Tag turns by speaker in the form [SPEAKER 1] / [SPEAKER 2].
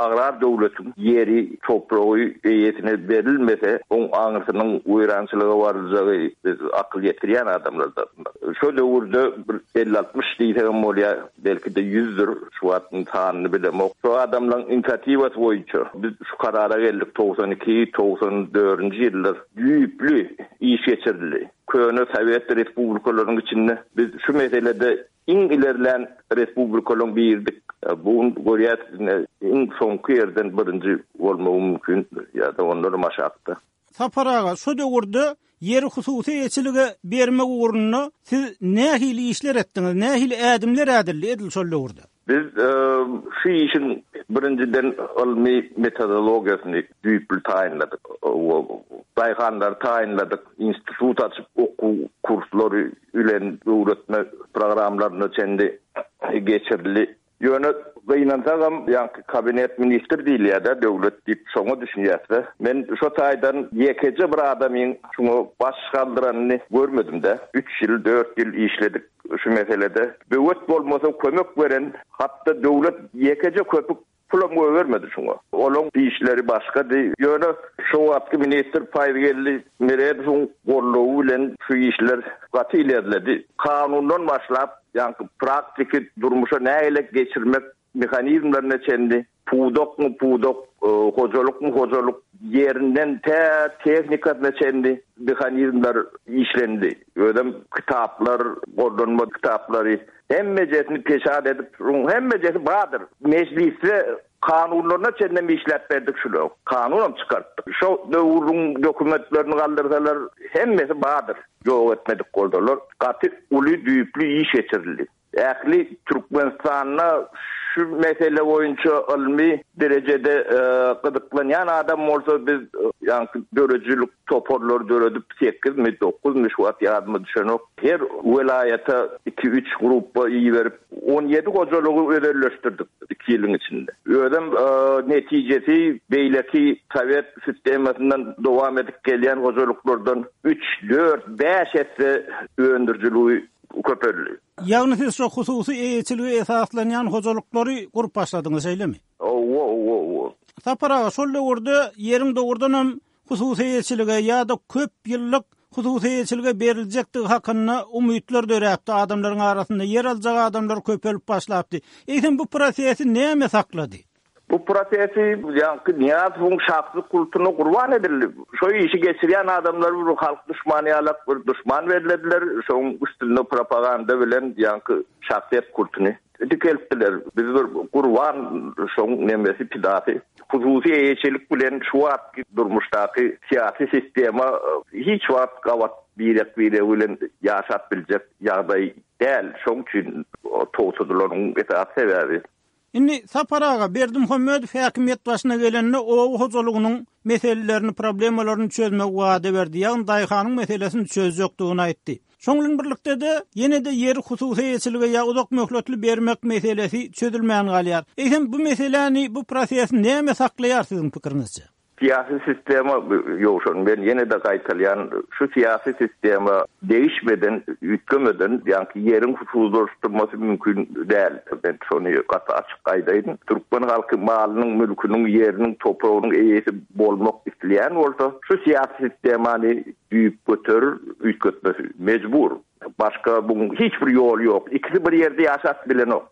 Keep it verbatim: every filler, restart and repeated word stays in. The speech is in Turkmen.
[SPEAKER 1] agrar döwletiň ýeri, topragy eýesine berilmese, oň aňyrsynyň weýrançylyga barjagy biz akyl ýetirýän adamlarda. Şo döwürde bir elli altmyş diýsegem bolýar, belki-de ýüzdür, şu wagtyň sanyny bilemok. Şo adamlaryň inisiatiwasy boýunça biz şu karara geldik togsan iki, togsan dördünji ýyllar düýpli iş geçirildi. Köne Sowet respublikalarynyň içinde biz şu meselede iň ilerlän respublikalaryň birdik. Bu gün görýäs, iň soňky ýerden birinji bolmagy mümkin ýa-da ondan aşakda.
[SPEAKER 2] Sapar aga, şu döwürde ýeri hususy eýeçilige bermek ugrunda siz nähili işler etdiňiz, nähili ädimler ädildi edil şol döwürde?
[SPEAKER 1] Biz, e, şu işiň birinjiden ylmy metodologiýasyny düýpli taýynladyk. O, daýhanlary taýynladyk, institut açyp okuw kurslary bilen öwretme programlaryna çenli geçirildi. Ýöne gynansagam, ýaňky kabinet ministr diýilýär-de, döwlet diýip şoňa düşünýärse, men şo taýdan ýekeje bir adamyň şoňa baş galdyranyny görmedim-de. Üç ýyl, dört ýyl işledik şu meselede. Böwet bolmasa kömek beren, hatda döwlet ýekeje köpük pulam goýbermedi şoňa. Onuň işleri başgady. Ýöne şo wagtky ministr Paýzgeldi Meredowyň gollugy bilen şu işler gaty ilerledi. Kanundan başlap, ýaňky praktiki durmuşa nähili geçirmek mehanizmlerine çenli pudakmy pudak, e, hojalykmy hojalyk ýerinden tä tehnikasyna çenli mehanizmler işlendi. Özem kitaplar, gollanma kitaplary hemmejesini peşat edip, şuň hemmejesi bardyr. Mejlisde kanunlaryna çenli işläp berdik şular. Kanunam çykartdyk. Şo döwrüň dokumentlerini galdyrsalar hemmesi bardyr. Ýok etmedik boldular. Gaty uly düýpli iş geçirildi. Ähli Türkmenistanda şu mesele boýunça ylmy derejede, e, gyzyklanýan adam bolsa biz, e, ýaňky döredijilik toparlary döredip sekizmi, dokuzmy şu wagt ýadyma düşenok. Her welaýata iki üç gruppa iberip on ýedi hojalygy özelleşdirdik iki ýylyň içinde. Özem, e, netijesi beýleki Sowet sistemasyndan dowam edip gelýän hojalyklardan üç, dört, bäş esse öndürijiligi köpeldi.
[SPEAKER 2] Ýagny siz şu hususy eýeçilige esaslanýan hojalyklary gurup başladyňyz, şeýlemi?
[SPEAKER 1] Owo, owo, owo.
[SPEAKER 2] Sapar aga, şol döwürde ýeriň dogrudan hem hususy eýeçilige ýa-da köp ýyllyk hususy eýeçilige beriljekdigi hakynda umytlar döräpdi. Adamlaryň arasynda ýer aljak adamlar köpelip başlapdy. Eýsem bu prosesi näme saklady?
[SPEAKER 1] Bu prosesi ýaňky Niýazowyň şahsy kultuna gurban edildi. Şo işi geçirýän adamlar bir halk düşmany ýalak bir düşman berildiler. Şoň üstünde propaganda bilen ýaňky şahsyýet kultuny dikeltdiler. Biz bir gurban şoň nemesi pidasy. Hususy eýeçilik bilen şu wagtky durmuşdaky syýasy sistema, e, hiç wagt gabat birek birek bilen ýaşap biljek ýagdaý däl. Şoň üçin towsudylaryň esasy sebäbi.
[SPEAKER 2] Indi Sapar aga, Berdimuhamedow häkimiýet başyna gelende oba hojalygynyň meselelerini, problemalaryny çözmek wada berdi. Ýagny daýhanyň meselesini çözjekdigini aýtdy. Şoň bilen birlikde de ýene-de ýeri hususy eýeçilige ýa uzak möhletli bermek meselesi çözülmän galýar. Eýsem bu meseläni, bu prosesi näme saklaýar siziň pikiriňizçe?
[SPEAKER 1] Syýasy sistema ýowşan, men ýene-de gaýtalýan, şu syýasy sistema değişmeden, üýtgemeden, ýaňky ýeriň hususlaşdyrmasy mümkin däl. Men şony gaty açyk aýdaýyn. Türkmen halky malynyň, mülküniň, ýeriniň, topragynyň eýesi bolmak isleýän bolsa, şu syýasy sistemany düýp göterir, üýtgetmesi mejbur. Başga buň hiç bir ýoly ýok. Ikisi bir ýerde ýaşap bilenok.